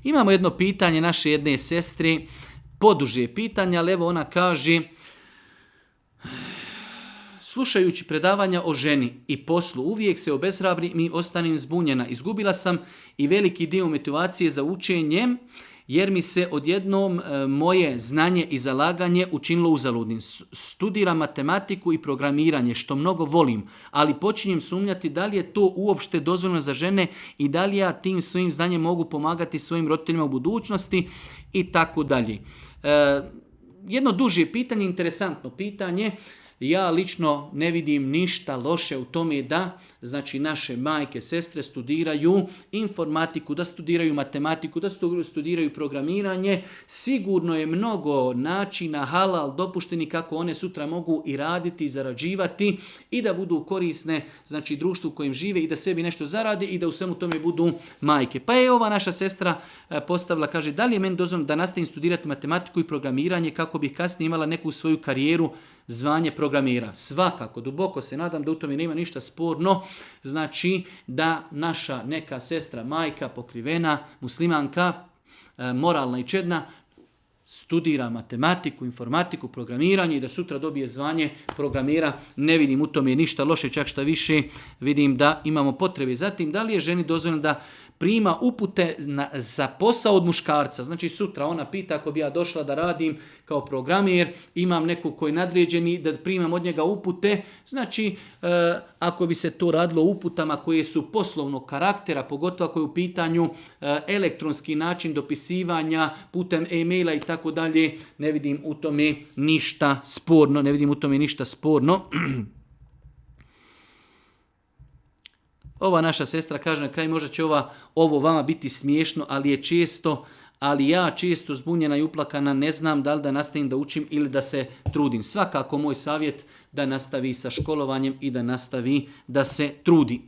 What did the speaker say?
Imamo jedno pitanje naše jedne sestre, poduže pitanje, ali evo ona kaže: slušajući predavanja o ženi i poslu, uvijek se obeshrabrim i ostanem zbunjena. Izgubila sam i veliki dio motivacije za učenje, jer mi se odjednom moje znanje i zalaganje učinilo uzaludnim. Studiram matematiku i programiranje, što mnogo volim, ali počinjem sumnjati da li je to uopšte dozvoljeno za žene i da li ja tim svojim znanjem mogu pomagati svojim roditeljima u budućnosti i tako dalje. Jedno duže pitanje, interesantno pitanje. Ja lično ne vidim ništa loše u tome da, znači, naše majke, sestre studiraju informatiku, da studiraju matematiku, da studiraju programiranje. Sigurno je mnogo načina halal dopušteni kako one sutra mogu i raditi i zarađivati i da budu korisne, znači, društvu u kojem žive i da sebi nešto zarade i da u svemu tome budu majke. Pa je ova naša sestra postavila, kaže: da li je meni dozvoljeno da nastavim studirati matematiku i programiranje kako bih kasnije imala neku svoju karijeru, zvanje programera? Svakako, duboko se nadam da u tome nema ništa sporno. Znači da naša neka sestra, majka, pokrivena, muslimanka, moralna i čedna, studira matematiku, informatiku, programiranje i da sutra dobije zvanje programera. Ne vidim u tome ništa loše, čak šta više vidim da imamo potrebe. Zatim, da li je ženi dozvoljeno da prima upute za posao od muškarca? Znači sutra ona pita, ako bi ja došla da radim kao programer, imam nekog koji je nadređeni, da primam od njega upute. Znači ako bi se to radilo uputama koje su poslovnog karaktera, pogotovo ako je u pitanju elektronski način dopisivanja putem e-maila i tako dalje, ne vidim u tome ništa sporno. Ova naša sestra kaže na kraju: možda će ovo vama biti smiješno, ali ja često zbunjena i uplakana, ne znam da li da nastavim da učim ili da se trudim. Svakako moj savjet da nastavi sa školovanjem i da nastavi da se trudi.